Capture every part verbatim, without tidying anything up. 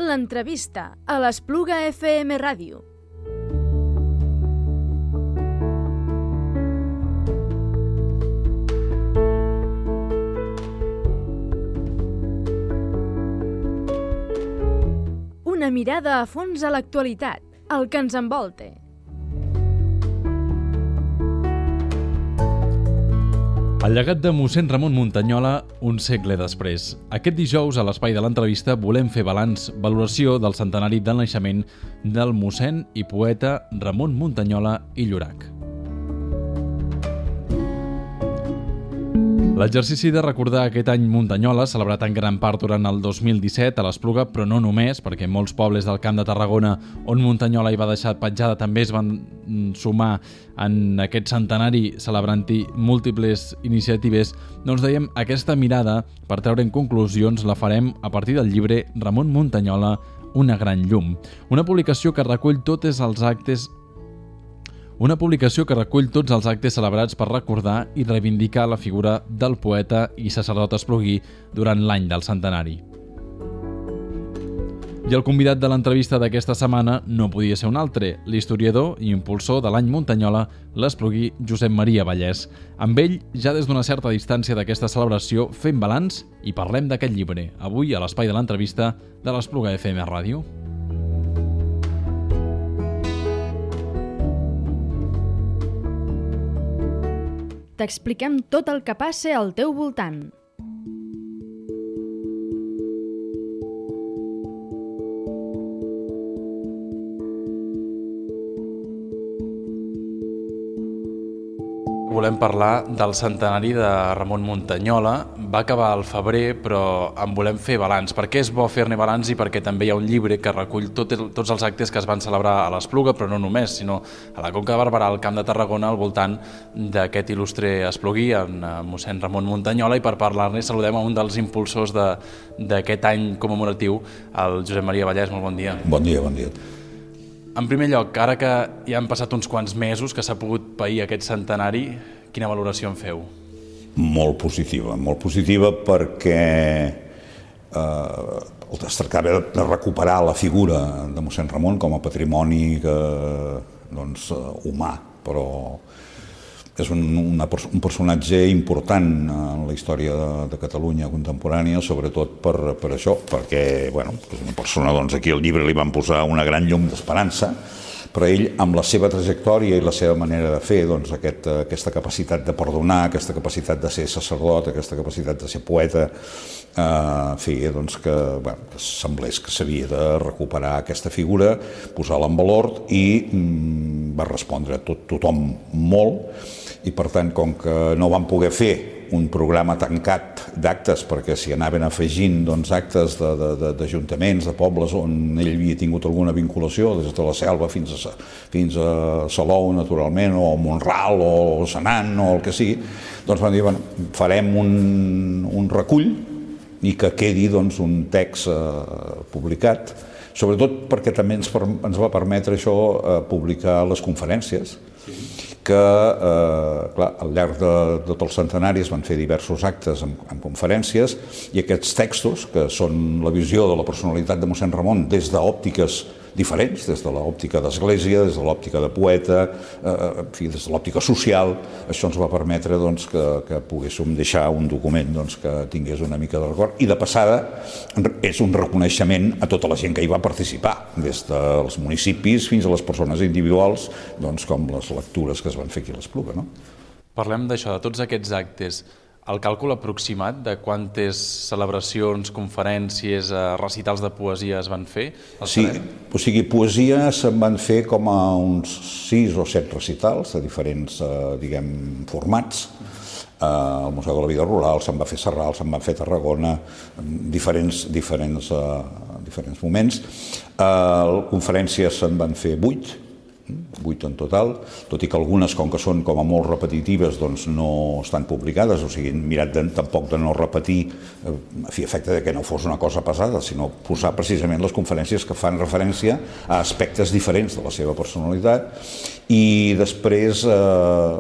L'entrevista a l'Espluga F M Ràdio. Una mirada a fons a l'actualitat, el que ens envolta. El llegat de mossèn Ramon Muntanyola, un segle després. Aquest dijous, a l'espai de l'entrevista, volem fer balanç, valoració del centenari del naixement del mossèn i poeta Ramon Muntanyola i Llorac. L'exercici de recordar aquest any Muntanyola, celebrat en gran part durant el dos mil disset a l'Espluga, però no només, perquè molts pobles del Camp de Tarragona on Muntanyola hi va deixar petjada també es van sumar en aquest centenari celebrant-hi múltiples iniciatives, doncs dèiem, aquesta mirada, per treure en conclusions, la farem a partir del llibre Ramon Muntanyola, una gran llum. Una publicació que recull tots els actes Una publicació que recull tots els actes celebrats per recordar i reivindicar la figura del poeta i sacerdot espluguí durant l'any del centenari. I el convidat de l'entrevista d'aquesta setmana no podia ser un altre, l'historiador i impulsor de l'any Muntanyola, l'espluguí Josep Maria Vallès. Amb ell, ja des d'una certa distància d'aquesta celebració, fem balanç i parlem d'aquest llibre, avui a l'espai de l'entrevista de l'Espluga F M Ràdio. T'expliquem tot el que passa al teu voltant. Volem parlar del centenari de Ramon Muntanyola. Va acabar al febrer, però en volem fer balanç. Per què és bo fer-ne balanç i perquè també hi ha un llibre que recull tot el, tots els actes que es van celebrar a l'Espluga, però no només, sinó a la Conca de Barberà, al Camp de Tarragona, al voltant d'aquest il·lustre espluguí, en mossèn Ramon Muntanyola, i per parlar-ne saludem a un dels impulsors d'aquest any commemoratiu, el Josep Maria Vallès. Molt bon dia. Bon dia, bon dia. En primer lloc, ara que ja han passat uns quants mesos que s'ha pogut pair aquest centenari, quina valoració en feu? Molt positiva, molt positiva perquè eh, es tractava de recuperar la figura de mossèn Ramon com a patrimoni que, doncs, humà, però és un, una, un personatge important en la història de, de Catalunya contemporània, sobretot per, per això, perquè bueno, és una persona, doncs, aquí al llibre li van posar una gran llum d'esperança, però ell, amb la seva trajectòria i la seva manera de fer, doncs, aquest, aquesta capacitat de perdonar, aquesta capacitat de ser sacerdot, aquesta capacitat de ser poeta, eh, feia doncs, que, bueno, que semblés que s'havia de recuperar aquesta figura, posar-la en valor, i mm, va respondre a tot, tothom molt, i per tant, com que no van poder fer un programa tancat d'actes, perquè s'hi anaven afegint, doncs, actes d'ajuntaments, de, de, de pobles on ell havia tingut alguna vinculació, des de la Selva fins a, fins a Salou, naturalment, o Mont-ral, o Senan, o el que sigui, doncs van dir, bueno, farem un, un recull i que quedi, doncs, un text eh, publicat, sobretot perquè també ens, ens va permetre això eh, publicar les conferències, que eh, clar, al llarg de, de tot el centenari es van fer diversos actes amb, amb conferències, i aquests textos, que són la visió de la personalitat de mossèn Ramon des d'òptiques diferents, des de l'òptica d'església, des de l'òptica de poeta, eh, en fi, des de l'òptica social, això ens va permetre, doncs, que, que poguéssim deixar un document, doncs, que tingués una mica de record, i de passada és un reconeixement a tota la gent que hi va participar, des dels municipis fins a les persones individuals, doncs, com les lectures que es van fer aquí a l'Espluga, no? Parlem d'això, de tots aquests actes. El càlcul aproximat de quantes celebracions, conferències, recitals de poesia es van fer? Sí, o sigui, poesia se'n van fer com a uns sis o set recitals de diferents, diguem, formats. Al Museu de la Vida Rural se'n va fer Sarral, se'n va fer Tarragona, diferents, diferents, diferents moments. Conferències se'n van fer vuit, vuit en total, tot i que algunes, com que són com a molt repetitives, doncs no estan publicades, o sigui, hem mirat de, tampoc de no repetir, a fi efecte de que no fos una cosa pesada, sinó posar precisament les conferències que fan referència a aspectes diferents de la seva personalitat, i després, eh,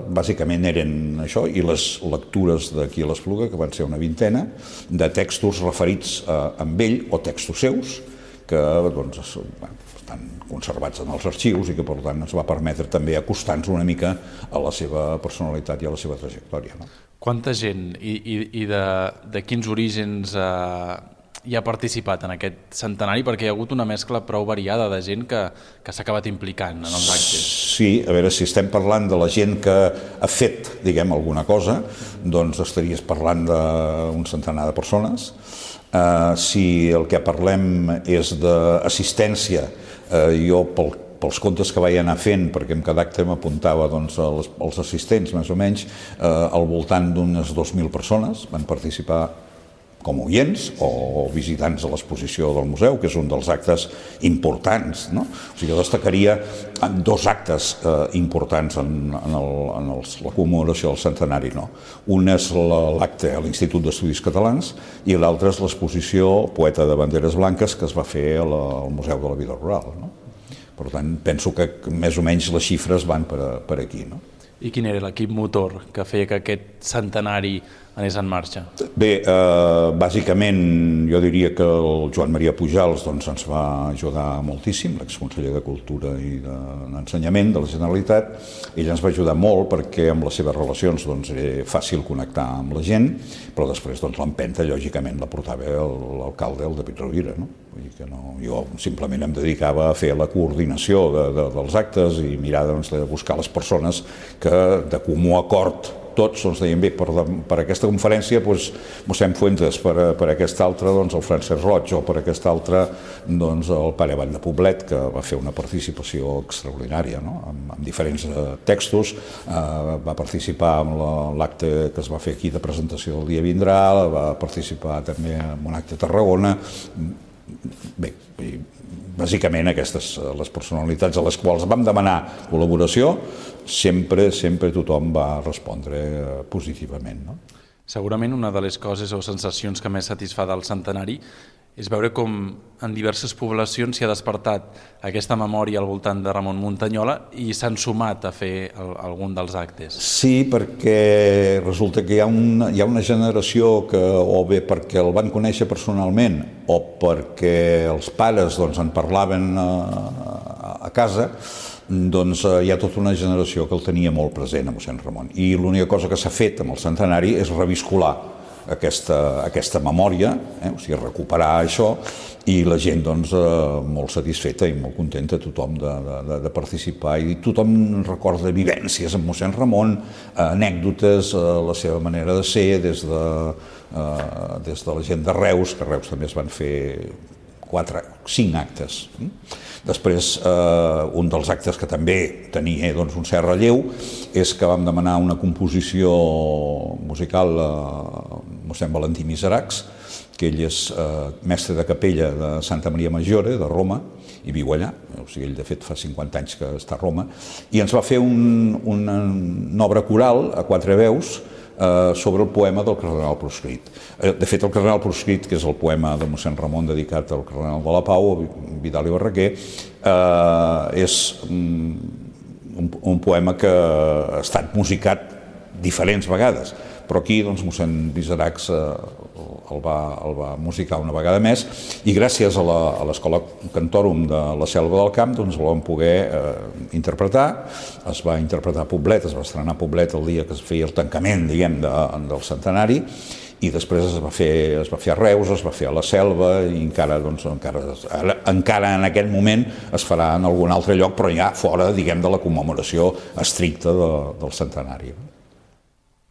bàsicament eren això, i les lectures d'aquí a l'Espluga, que van ser una vintena, de textos referits eh, amb ell, o textos seus, que doncs, estan conservats en els arxius i que per tant ens va permetre també acostar-nos una mica a la seva personalitat i a la seva trajectòria. No? Quanta gent i, i, i de, de quins orígens eh, hi ha participat en aquest centenari? Perquè hi ha hagut una mescla prou variada de gent que, que s'ha acabat implicant en els actes. Sí, a veure, si estem parlant de la gent que ha fet, diguem, alguna cosa, doncs estaries parlant d'un centenar de persones. Uh, si el que parlem és d'assistència, uh, jo pel, pels comptes que vaig anar fent, perquè en cada acte m'apuntava doncs, als, als assistents, més o menys, uh, al voltant d'unes dos mil persones van participar com oients o visitants de l'exposició del museu, que és un dels actes importants. No? O sigui, jo destacaria dos actes eh, importants en, en, el, en els, la commemoració del centenari. No? Un és l'acte a l'Institut d'Estudis Catalans i l'altre és l'exposició Poeta de Banderes Blanques que es va fer a la, al Museu de la Vida Rural. No? Per tant, penso que més o menys les xifres van per, per aquí. No? I quin era l'equip motor que feia que aquest centenari anés en marxa? Bé, eh, bàsicament jo diria que el Joan Maria Pujals doncs, ens va ajudar moltíssim, l'exconseller de Cultura i d'Ensenyament de la Generalitat. Ell ens va ajudar molt perquè amb les seves relacions doncs, era fàcil connectar amb la gent, però després doncs, l'empenta, lògicament, la portava l'alcalde, el David Rovira. No? Vull dir que no, jo simplement em dedicava a fer la coordinació de, de, dels actes i mirar doncs, de buscar les persones que de comú acord tots doncs, deien bé, per, per aquesta conferència doncs, mossèn Fuentes, per, per aquesta altra doncs, el Francesc Roig o per aquesta altra doncs, el pare Vall de Poblet, que va fer una participació extraordinària, no? amb, amb diferents eh, textos, eh, va participar en l'acte que es va fer aquí de presentació del Dia Vindrà, va participar també en un acte a Tarragona. Bé, bàsicament aquestes les personalitats a les quals vam demanar col·laboració, sempre, sempre tothom va respondre positivament. No? Segurament una de les coses o sensacions que més satisfà del centenari és veure com en diverses poblacions s'hi ha despertat aquesta memòria al voltant de Ramon Muntanyola i s'han sumat a fer el, algun dels actes. Sí, perquè resulta que hi ha una, hi ha una generació que, o bé perquè el van conèixer personalment o perquè els pares doncs, en parlaven a, a casa, doncs hi ha tota una generació que el tenia molt present a mossèn Ramon. I l'única cosa que s'ha fet amb el centenari és reviscolar aquesta, aquesta memòria, eh? O sigui, recuperar això, i la gent doncs, eh, molt satisfeta i molt contenta, tothom de, de, de participar, i tothom recorda vivències amb mossèn Ramon, eh, anècdotes, eh, la seva manera de ser, des de, eh, des de la gent de Reus, que a Reus també es van fer quatre, cinc actes. Després, eh, un dels actes que també tenia doncs, un cert relleu és que vam demanar una composició musical a mossèn Valentí Miseracs, que ell és eh, mestre de capella de Santa Maria Maggiore, de Roma, i viu allà, o sigui, ell de fet fa cinquanta anys que està a Roma, i ens va fer un, una, una obra coral a quatre veus sobre el poema del cardenal proscrit. De fet, el cardenal proscrit, que és el poema de mossèn Ramon dedicat al cardenal de la Pau, Vidal i Barraquer, és un, un poema que ha estat musicat diferents vegades, però aquí doncs, mossèn Miseracs el va, el va musicar una vegada més, i gràcies a l'Escola Cantorum de la Selva del Camp doncs, el vam poder eh, interpretar. Es va interpretar a Poblet, es va estrenar a Poblet el dia que es feia el tancament, diguem, de, del centenari, i després es va, fer, es va fer a Reus, es va fer a la Selva, i encara, doncs, encara, encara en aquest moment es farà en algun altre lloc, però ja fora, diguem, de la commemoració estricta de, del centenari.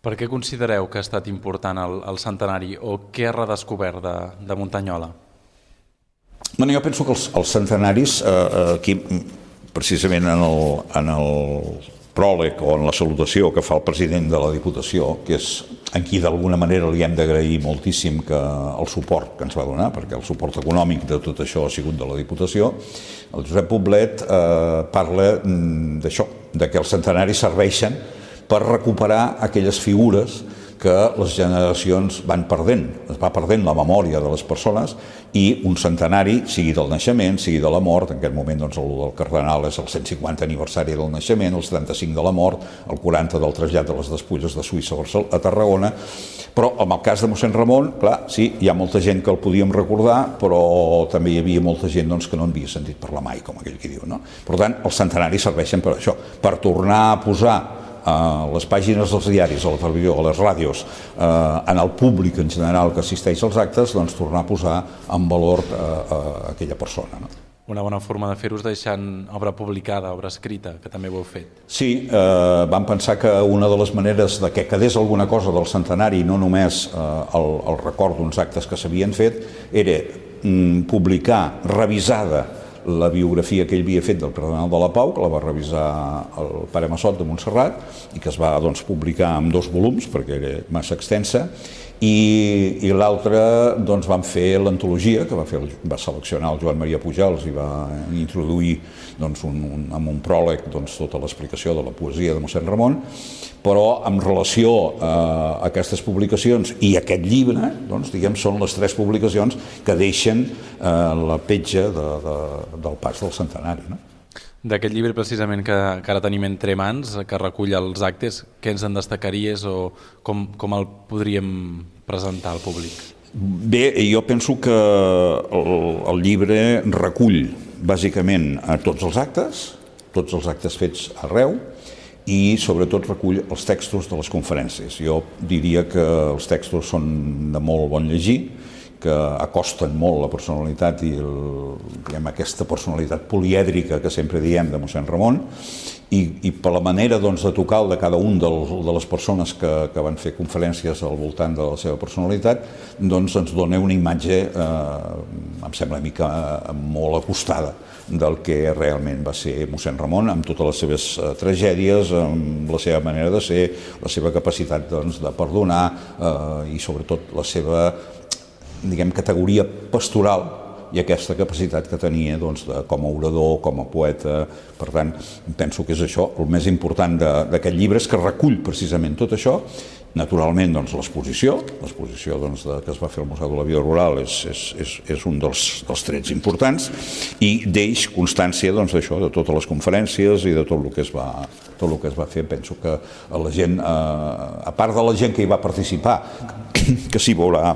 Per què considereu que ha estat important el, el centenari o què ha redescobert de, de Muntanyola? Bueno, jo penso que els, els centenaris, eh, aquí precisament en el, en el pròleg o en la salutació que fa el president de la Diputació, que és en qui d'alguna manera li hem d'agrair moltíssim que el suport que ens va donar, perquè el suport econòmic de tot això ha sigut de la Diputació, el Josep Poblet eh, parla d'això, de que els centenaris serveixen per recuperar aquelles figures que les generacions van perdent, es va perdent la memòria de les persones i un centenari, sigui del naixement, sigui de la mort, en aquest moment doncs, el del cardenal és el cent cinquanta aniversari del naixement, el setanta-cinc de la mort, el quaranta del trasllat de les despulles de Suïssa a Tarragona, però en el cas de mossèn Ramon, clar, sí, hi ha molta gent que el podíem recordar, però també hi havia molta gent doncs, que no en havia sentit parlar mai, com aquell que diu, no? Per tant, els centenaris serveixen per això, per tornar a posar a les pàgines dels diaris, a la televisió, a les ràdios, eh, en el públic en general que assisteix als actes, doncs tornar a posar en valor a, a aquella persona. No? Una bona forma de fer-ho és deixant obra publicada, obra escrita, que també ho heu fet. Sí, eh, vam pensar que una de les maneres de que quedés alguna cosa del centenari, no només eh, el, el record d'uns actes que s'havien fet, era mm, publicar revisada la biografia que ell havia fet del cardenal de la Pau, que la va revisar el pare Massot de Montserrat i que es va doncs, publicar en dos volums perquè era massa extensa, i, i l'altre doncs, van fer l'antologia que va, fer, va seleccionar el Joan Maria Pujals i va introduir doncs, un, un, amb un pròleg doncs, tota l'explicació de la poesia de mossèn Ramon, però en relació a aquestes publicacions i aquest llibre, doncs, diguem, són les tres publicacions que deixen eh, la petja de, de, del pas del centenari. No? D'aquest llibre precisament que, que ara tenim entre mans, que recull els actes, què ens en destacaries o com, com el podríem presentar al públic? Bé, jo penso que el, el llibre recull bàsicament a tots els actes, tots els actes fets arreu, i sobretot recull els textos de les conferències. Jo diria que els textos són de molt bon llegir, que acosten molt la personalitat i el, diguem, aquesta personalitat polièdrica que sempre diem de mossèn Ramon, i, i per la manera doncs, de tocar de cada un del, de les persones que, que van fer conferències al voltant de la seva personalitat, doncs ens dona una imatge, eh, em sembla a mi que molt acostada del que realment va ser mossèn Ramon, amb totes les seves eh, tragèdies, amb la seva manera de ser, la seva capacitat doncs, de perdonar eh, i sobretot la seva, diguem, categoria pastoral i aquesta capacitat que tenia doncs, de, com a orador, com a poeta. Per tant, penso que és això, el més important d'aquest llibre és que recull precisament tot això. Naturalment, doncs, l'exposició, l'exposició doncs, de, que es va fer al Museu de la Vida Rural és, és, és, és un dels, dels trets importants i deix constància doncs, d'això, de totes les conferències i de tot el que es va, tot el que es va fer. Penso que la gent, eh, a part de la gent que hi va participar, que s'hi veurà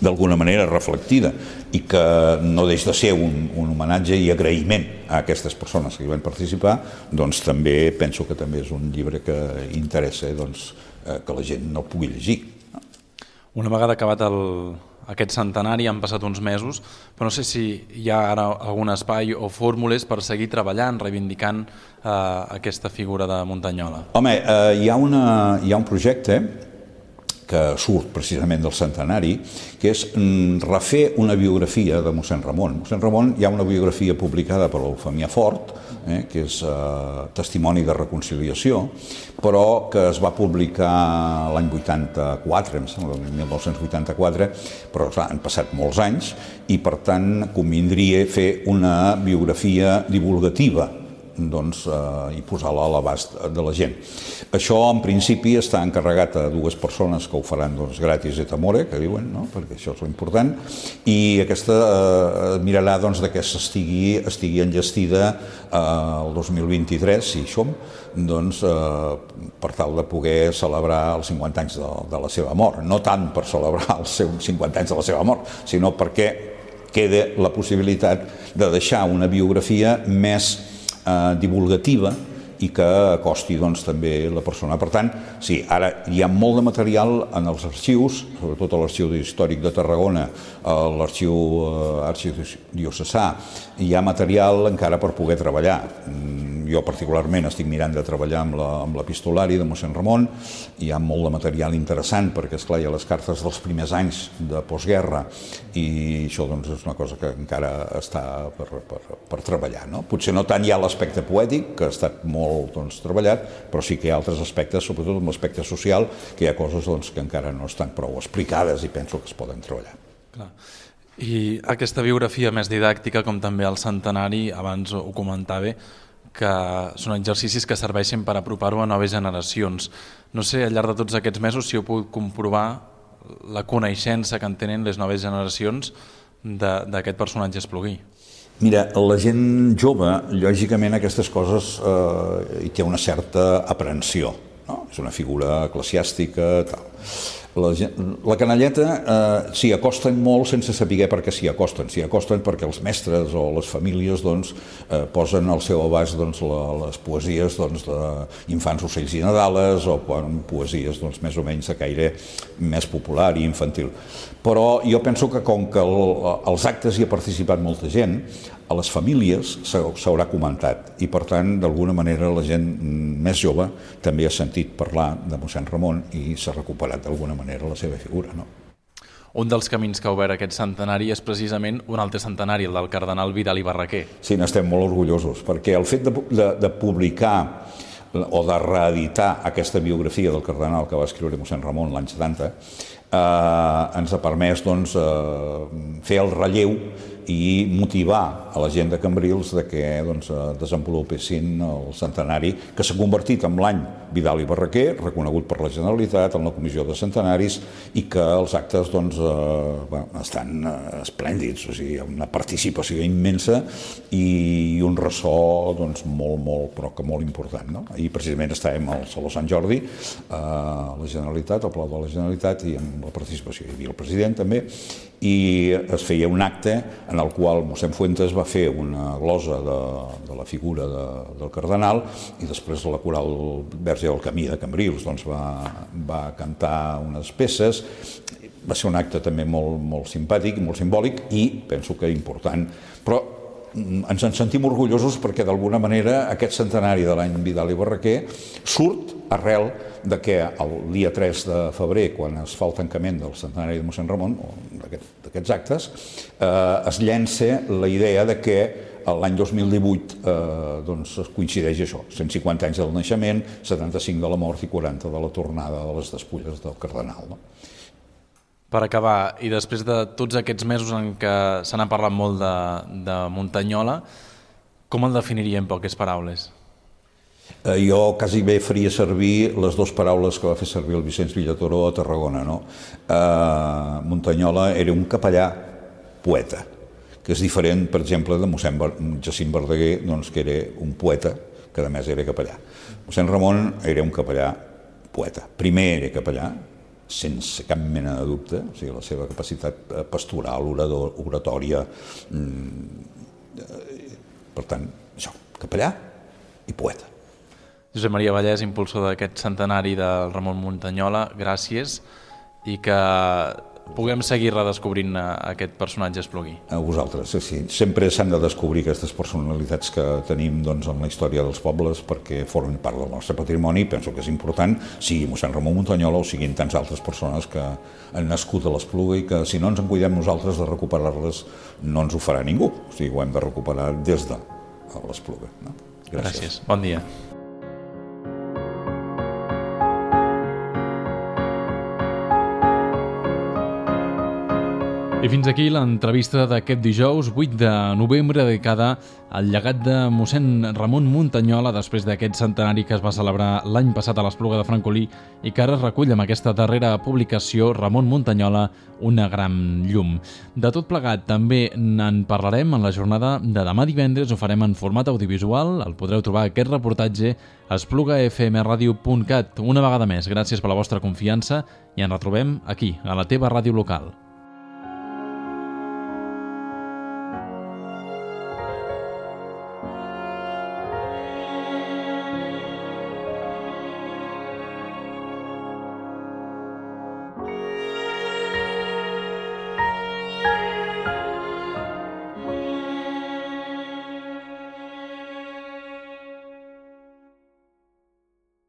d'alguna manera reflectida i que no deix de ser un, un homenatge i agraïment a aquestes persones que hi van participar, doncs també penso que també és un llibre que interessa doncs, que la gent no pugui llegir. Una vegada acabat el, aquest centenari, han passat uns mesos, però no sé si hi ha ara algun espai o fórmules per seguir treballant, reivindicant eh, aquesta figura de Muntanyola. Home, eh, hi ha una, hi ha un projecte que surt precisament del centenari, que és refer una biografia de mossèn Ramon. Mossèn Ramon hi ha una biografia publicada per l'Eufemia Fort, eh, que és eh, testimoni de reconciliació, però que es va publicar l'any vuitanta-quatre, em sembla, mil nou-cents vuitanta-quatre, però clar, han passat molts anys i per tant convindria fer una biografia divulgativa, doncs, eh, i posar-la a l'abast de la gent. Això, en principi, està encarregat a dues persones que ho faran doncs, gratis et amore, que diuen, no? Perquè això és l'important, i aquesta eh, mirarà doncs, que s'estigui estigui enllestida eh, el dos mil vint-i-tres, si hi som, doncs, eh, per tal de poder celebrar els cinquanta anys de, de la seva mort. No tant per celebrar els seus cinquanta anys de la seva mort, sinó perquè queda la possibilitat de deixar una biografia més Eh, divulgativa i que acosti doncs, també la persona. Per tant, sí, ara hi ha molt de material en els arxius, sobretot a l'Arxiu Històric de Tarragona, a l'Arxiu eh, Arxidiocesà, hi ha material encara per poder treballar. Jo particularment estic mirant de treballar amb la, amb l'epistolari de mossèn Ramon, hi ha molt de material interessant perquè, esclar, hi ha les cartes dels primers anys de postguerra i això doncs, és una cosa que encara està per, per, per treballar. No? Potser no tant hi ha l'aspecte poètic, que ha estat molt doncs, treballat, però sí que hi ha altres aspectes, sobretot amb l'aspecte social, que hi ha coses doncs, que encara no estan prou explicades i penso que es poden treballar. Clar. I aquesta biografia més didàctica, com també el centenari, abans ho comentava, que són exercicis que serveixin per apropar-ho a noves generacions. No sé, al llarg de tots aquests mesos, si heu pogut comprovar la coneixença que en tenen les noves generacions d'aquest personatge Espluguí. Mira, la gent jove, lògicament, aquestes coses eh, hi té una certa aprensió, no? És una figura eclesiàstica, tal. La, la canalleta eh, s'hi acosten molt sense saber per què s'hi acosten. S'hi acosten perquè els mestres o les famílies doncs, eh, posen al seu abast doncs, la, les poesies doncs, d'Infants, ocells i Nadales o quan, poesies doncs, més o menys de caire més popular i infantil. Però jo penso que com que el, els actes hi ha participat molta gent, a les famílies s'haurà comentat i per tant d'alguna manera la gent més jove també ha sentit parlar de mossèn Ramon i s'ha recuperat d'alguna manera la seva figura, no? Un dels camins que ha obert aquest centenari és precisament un altre centenari, el del cardenal Vidal i Barraquer. Sí, n'estem molt orgullosos, perquè el fet de, de, de publicar o de reeditar aquesta biografia del cardenal que va escriure mossèn Ramon l'any setanta eh, ens ha permès doncs, eh, fer el relleu i motivar a la gent de Cambrils de que doncs, desenvolupessin el centenari que s'ha convertit en l'any Vidal i Barraquer, reconegut per la Generalitat en la Comissió de Centenaris i que els actes doncs, eh, bueno, estan eh, esplèndids, o sigui, hi ha una participació immensa i un ressò doncs, molt, molt, però que molt important. No? I precisament estàvem al Saló Sant Jordi, eh, a la Generalitat, al Palau de la Generalitat i amb la participació. Hi havia el president també i es feia un acte en el qual mossèn Fuentes va fer una glosa de, de la figura de, del cardenal i després la coral Verge del Camí de Cambrils doncs, va, va cantar unes peces. Va ser un acte també molt, molt simpàtic i molt simbòlic i penso que important. Però ens en sentim orgullosos perquè d'alguna manera aquest centenari de l'any Vidal i Barraquer surt arrel de que el dia tres de febrer, quan es fa el tancament del centenari de mossèn Ramon, o d'aquests actes, eh, es llença la idea de que l'any dos mil divuit eh, doncs, coincideix això, cent cinquanta anys del naixement, setanta-cinc de la mort i quaranta de la tornada de les despulles del cardenal. No? Per acabar, i després de tots aquests mesos en què se n'ha parlat molt de, de Muntanyola, com el definiria en poques paraules? Eh, jo quasi bé faria servir les dues paraules que va fer servir el Vicenç Villatoro a Tarragona. No? Eh, Muntanyola era un capellà poeta, que és diferent, per exemple, de mossèn Jacint Verdaguer, doncs, que era un poeta, que a més era capellà. Mossèn Ramon era un capellà poeta. Primer era capellà, sense cap mena de dubte, o sigui, la seva capacitat pastoral, oratòria, per tant, això, capellà i poeta. Josep Maria Vallès, impulsor d'aquest centenari del Ramon Muntanyola, gràcies i que puguem seguir redescobrint aquest personatge Espluguí. A vosaltres, sí. Sempre s'han de descobrir aquestes personalitats que tenim doncs, en la història dels pobles perquè formen part del nostre patrimoni. Penso que és important, sigui mossèn Ramon Muntanyola o siguin tants altres persones que han nascut a l'Espluga i que si no ens en cuidem nosaltres de recuperar-les no ens ho farà ningú. O sigui, ho hem de recuperar des de l'Espluga. No? Gràcies. Gràcies. Bon dia. I fins aquí l'entrevista d'aquest dijous vuit de novembre dedicada al llegat de mossèn Ramon Muntanyola després d'aquest centenari que es va celebrar l'any passat a l'Espluga de Francolí i que ara recull amb aquesta darrera publicació Ramon Muntanyola, una gran llum. De tot plegat també en parlarem en la jornada de demà divendres, ho farem en format audiovisual, el podreu trobar aquest reportatge a espluga f m radio punt cat. Una vegada més, gràcies per la vostra confiança i ens retrobem aquí, a la teva ràdio local.